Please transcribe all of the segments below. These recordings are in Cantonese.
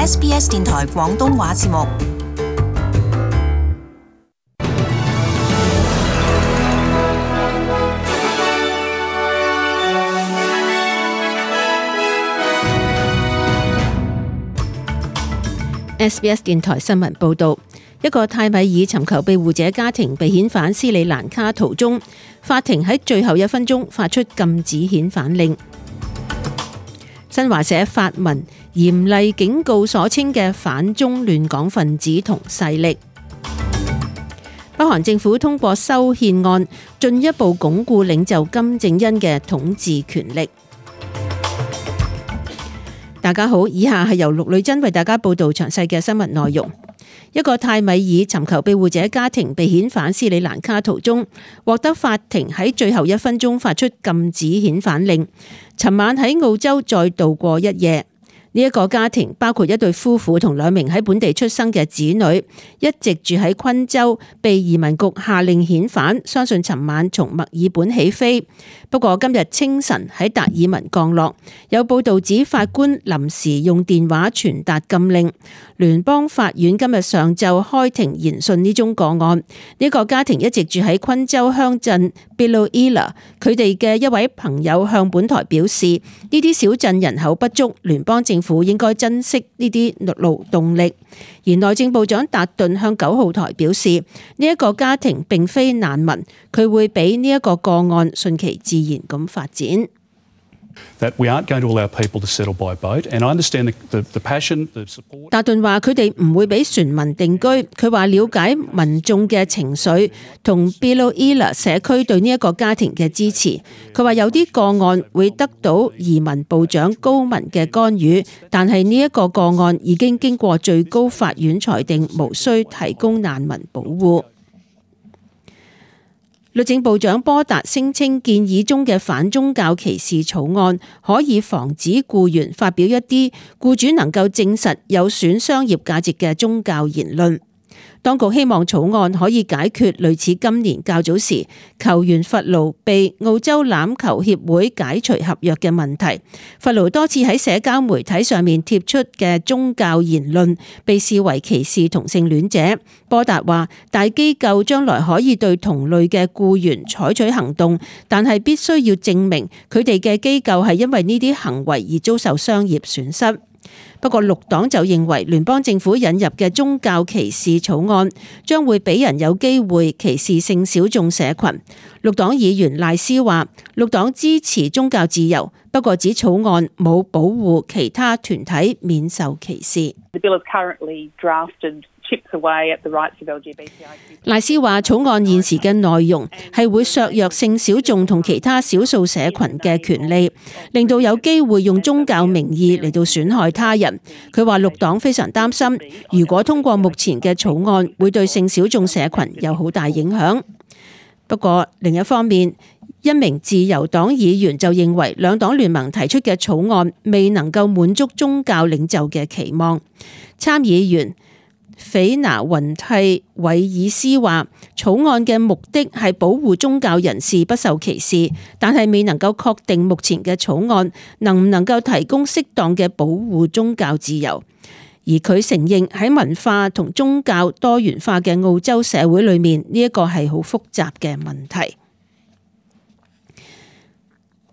SBS 電台廣東話節目。SBS 電台新聞報導，一個泰米爾尋求庇護者家庭被遣返斯里蘭卡途中，法庭喺最後1分鐘發出禁止遣返令。新華社發文嚴厲警告所稱嘅反中亂港分子同勢力。北韓政府通過修憲案，進一步鞏固領袖金正恩嘅統治權力。大家好，以下係由陸女真為大家報道詳細嘅新聞內容。一個泰米爾尋求庇護者家庭被遣返斯里蘭卡途中，獲得法庭喺最後1分鐘發出禁止遣返令。尋晚喺澳洲再度過一夜。呢一個家庭包括一對夫婦同2名喺本地出生嘅子女，一直住喺昆州，被移民局下令遣返，相信尋晚從墨爾本起飛。不過今日清晨喺達爾文降落。有報道指法官臨時用電話傳達禁令。聯邦法院今日上晝開庭研訊呢宗個案。呢個家庭一直住喺昆州鄉鎮 Biloela， 佢哋嘅一位朋友向本台表示，呢啲小鎮人口不足，聯邦政府應該珍惜呢啲勞動力。而內政部長達頓向9號台表示，呢一個家庭並非難民，佢會俾呢一個個案順其自然咁發展。達頓話佢哋唔會俾船民定居。佢話了解民眾嘅情緒同 Biloela 社區對呢一個家庭嘅支持。佢話有啲個案會得到移民部長高文嘅干預，但係呢一個個案已經經過最高法院裁定無需提供難民保護。律政部長波達聲稱建議中嘅反宗教歧視草案可以防止僱員發表一啲僱主能夠證實有損商業價值嘅宗教言論。當局希望草案可以解決類似今年較早時球員弗勞被澳洲欖球協會解除合約嘅問題。弗勞多次喺社交媒體上面貼出嘅宗教言論被視為歧視同性戀者。波達話，大機構將來可以對同類嘅僱員採取行動，但係必須要證明佢哋嘅機構係因為呢啲行為而遭受商業損失。不過綠黨就認為聯邦政府引入嘅宗教歧視草案將會俾人有機會歧視性小眾社群。綠黨議員賴斯話，綠黨支持宗教自由，不過指草案冇保護其他團體免受歧視。賴斯話，草案現時嘅內容係會削弱性小眾同其他少數社群嘅權利，令到有機會用宗教名義嚟到損害他人。佢話綠黨非常擔心，如果通過目前嘅草案，會對性小眾社群有好大影響。不過另一方面，一名自由黨議員就認為兩黨聯盟提出嘅草案未能夠滿足宗教領袖嘅期望。參議員斐拿雲蒂韋爾斯話，草案嘅目的係保護宗教人士不受歧視，但係未能夠確定目前嘅草案能唔能夠提供適當嘅保護宗教自由。而佢承認喺文化同宗教多元化嘅澳洲社會裏面，呢一個係好複雜嘅問題。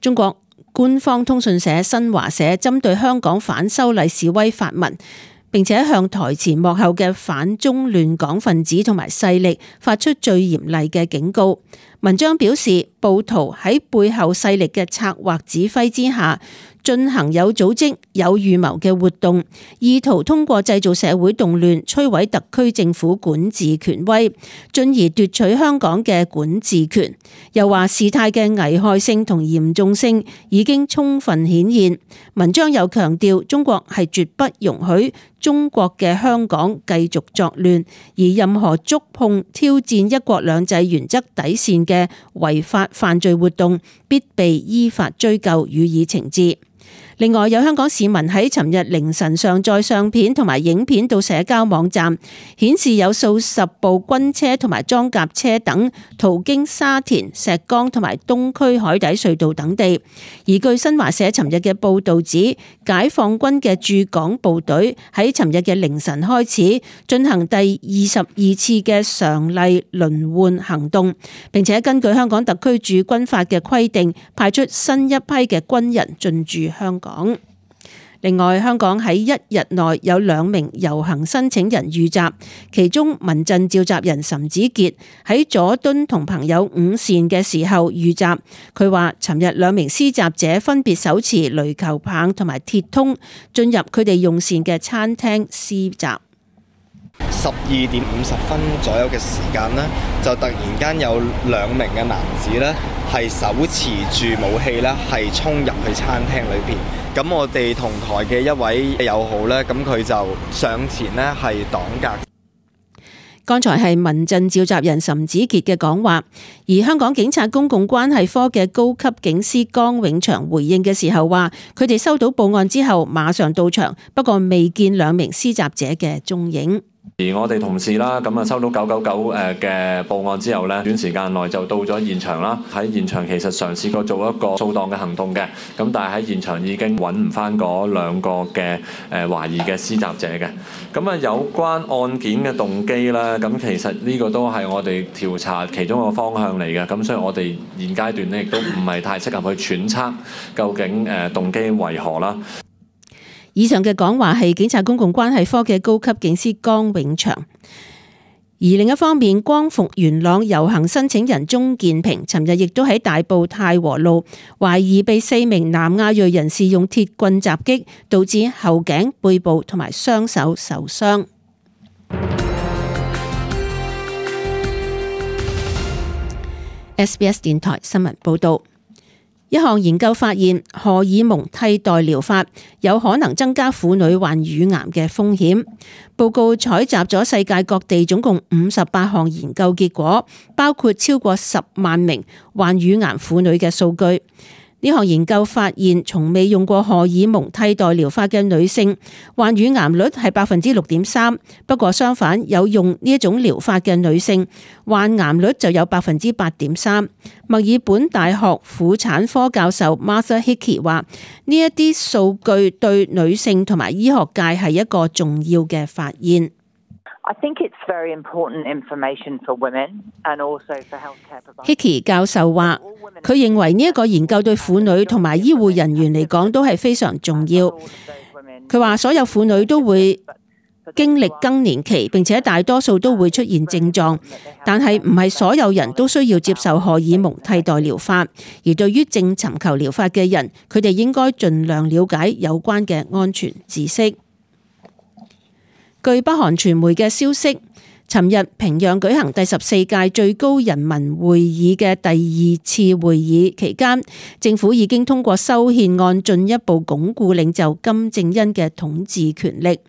中國官方通訊社新華社針對香港反修例示威發文，並且向台前幕後嘅反中亂港分子同埋勢力發出最嚴厲嘅警告。文章表示，暴徒喺背後勢力嘅策劃指揮之下，進行有組織、有預謀嘅活動，意圖通過製造社會動亂，摧毀特區政府管治權威，進而奪取香港嘅管治權。又話事態嘅危害性同嚴重性已經充分顯現。文章又強調，中國係絕不容許中國嘅香港繼續作亂，而任何觸碰、挑戰一國兩制原則底線嘅違法犯罪活動，必被依法追究，予以懲治。另外，有香港市民喺尋日凌晨上載相片同埋影片到社交網站，顯示有數十部軍車同埋裝甲車等途經沙田、石崗同埋東區海底隧道等地。而據新華社尋日嘅報導指，解放軍嘅駐港部隊喺尋日嘅凌晨開始進行第22次嘅常例輪換行動，並且根據香港特區駐軍法嘅規定，派出新一批嘅軍人進駐香港。另外，香港喺一日內有2名遊行申請人遇襲，其中民陣召集人岑子傑喺佐敦同朋友午膳嘅時候遇襲。佢話尋日2名施襲者分別手持壘球棒同埋鐵通進入佢哋用膳嘅餐廳施襲。12點50分左右嘅時間呢，就突然間有2名嘅男子呢，係手持住武器呢，係衝入去餐廳裏邊。咁我哋同台嘅一位友好呢，咁佢就上前呢，係擋隔。剛才係民陣召集人岑子傑嘅講話，而香港警察公共關係科嘅高級警司江永祥回應嘅時候話，佢哋收到報案之後馬上到場，不過未見2名施襲者嘅蹤影。而我哋同事啦，咁啊收到999嘅報案之後呢，短時間內就到咗現場啦。喺現場其實嘗試過做一個掃蕩嘅行動嘅，咁但係喺現場已經揾唔翻嗰2個嘅懷疑嘅施襲者嘅。咁啊有關案件嘅動機啦，咁其實呢個都係我哋調查其中一個方向嚟嘅。咁所以我哋現階段呢亦都唔係太適合去揣測究竟動機為何啦。以上嘅講話係警察公共關係科嘅高級警司江永祥。而另一方面，光復元朗遊行申請人鍾建平尋日亦都喺大埔太和路懷疑被4名南亞裔人士用鐵棍襲擊，導致後頸、背部同埋雙手受傷。SBS 電台新聞報道。一項研究發現，荷爾蒙替代療法有可能增加婦女患乳癌嘅風險。報告採集咗世界各地總共58項研究結果，包括超過10萬名患乳癌婦女嘅數據。呢項研究發現，從未用過荷爾蒙替代療法嘅女性患乳癌率係6.3%，不過相反，有用呢一種療法嘅女性患癌率就有8.3%。墨爾本大學婦產科教授 Martha Hickey 話：呢一啲數據對女性同埋醫學界係一個重要嘅發現。I think it's very important information for women and also for healthcare providers. Hickey 教授話，佢認為呢一個研究對婦女同埋醫護人員嚟講都係非常重要。佢話所有婦女都會經歷更年期，並且大多數都會出現症狀，但係唔係所有人都需要接受荷爾蒙替代療法。而對於正尋求療法嘅人，佢哋應該盡量了解有關嘅安全知識。據北韓傳媒嘅消息，尋日平壤舉行第14屆最高人民會議嘅第2次會議期間，政府已經通過修憲案，進一步鞏固領袖金正恩嘅統治權力。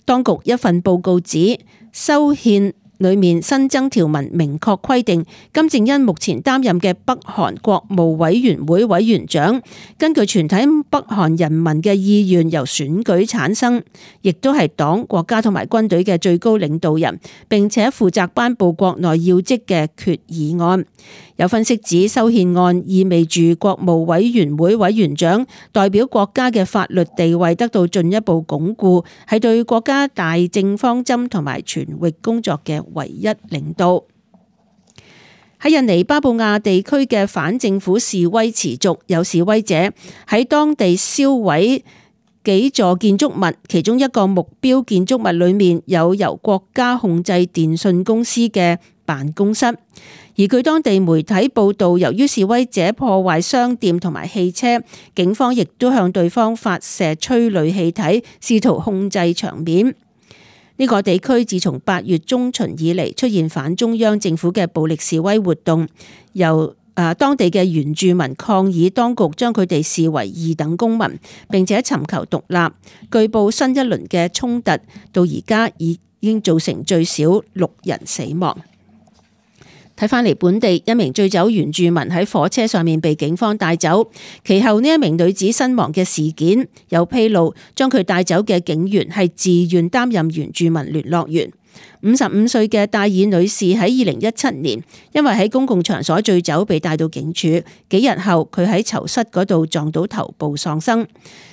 當局一份報告指，修憲裏面新增條文明確規定，金正恩目前擔任嘅北韓國務委員會委員長，根據全體北韓人民嘅意願由選舉產生，亦都係黨、國家同埋軍隊嘅最高領導人，並且負責頒布國內要職嘅決議案。有分析指，修憲案意味住國務委員會委員長代表國家嘅法律地位得到進一步鞏固，係對國家大政方針同埋全域工作嘅唯一領導。喺印尼巴布亞地區嘅反政府示威持續，有示威者喺當地燒毀幾座建築物，其中一個目標建築物裏面有由國家控制電信公司嘅辦公室。而據當地媒體報道，由於示威者破壞商店同埋汽車，警方亦都向對方發射催淚氣體，試圖控制場面。呢個地區自從8月中旬以嚟出現反中央政府嘅暴力示威活動，由當地嘅原住民抗議當局將佢哋視為二等公民，並且尋求獨立。據報新一輪嘅衝突到而家已經造成最少6人死亡。睇返嚟本地一名醉酒原住民喺火車上面被警方帶走，其後呢一名女子身亡嘅事件有披露，將佢帶走嘅警員係自願擔任原住民聯絡員。55歲嘅戴爾女士喺2017年因為喺公共場所醉酒被帶到警署，幾日後佢喺囚室嗰度撞到頭部喪生。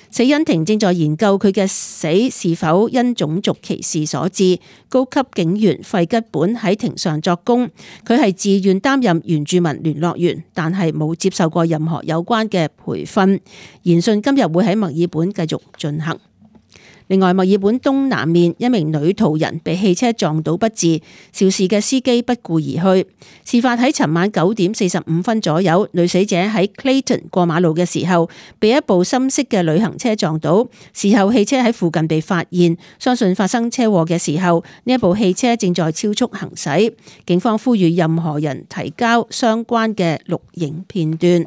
死因庭正在研究佢嘅死是否因種族歧視所致。高級警員費吉本喺庭上作供，佢係自願擔任原住民聯絡員，但係冇接受過任何有關嘅培訓。研訊今日會喺墨爾本繼續進行。另外，墨爾本東南面一名女途人被汽車撞倒不治，肇事嘅司機不顧而去。事發喺尋晚9點45分左右，女死者喺 Clayton 過馬路嘅時候，被一部深色嘅旅行車撞倒。事後汽車喺附近被發現，相信發生車禍嘅時候，呢一部汽車正在超速行駛。警方呼籲任何人提交相關嘅錄影片段。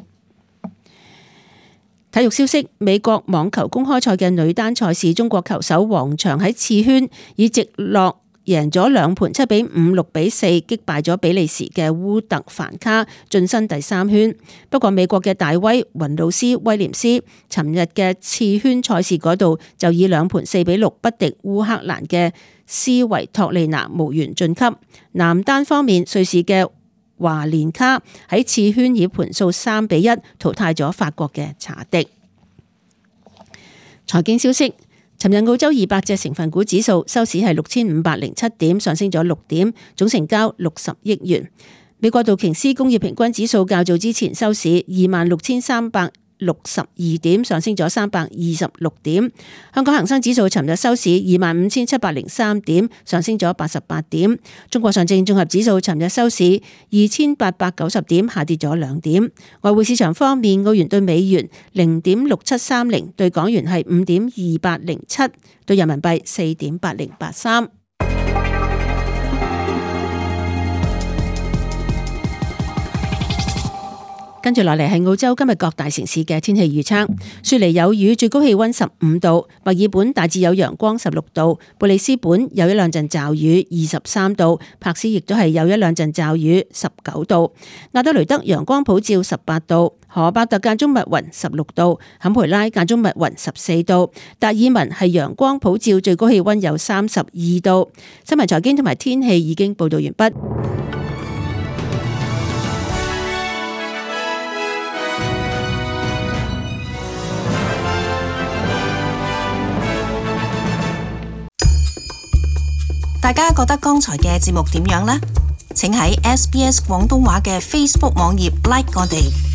體育消息：美國網球公開賽嘅女單賽事，中國球手王薔喺次圈以直落贏咗2盤7比5、6比4擊敗咗比利時嘅烏特凡卡，晉身第3圈。不過美國嘅大威雲魯斯威廉斯尋日嘅次圈賽事嗰度就以2盤4比6不敵烏克蘭嘅斯維托利娜，無緣晉級。男單方面，瑞士嘅華連卡喺次圈以盤數3比1淘汰咗法國嘅查迪。財經消息：尋日澳洲200隻成分股指數收市係6507點，上升咗6點，總成交60億元。美國道瓊斯工業平均指數較早之前收市26,362點，上升咗326點。香港恒生指數尋日收市25,703點，上升咗88點。中國上證綜合指數尋日收市2,890點，下跌咗2點。外匯市場方面，澳元對美元0.6730，對港元係5.2807，對人民幣4.8083。跟住落嚟係澳洲今日各大城市嘅天氣預測。雪梨有雨，最高氣溫15度；墨爾本大致有陽光16度；布里斯本有一兩陣驟雨23度；柏斯亦都係有一兩陣驟雨19度；亞德雷德陽光普照18度；荷伯特間中密雲16度；坎培拉間中密雲14度；達爾文係陽光普照，最高氣溫有32度。新聞財經同埋天氣已經報道完畢。大家覺得剛才嘅節目點樣呢？請喺SBS 廣東話嘅 Facebook 網頁 like 我哋。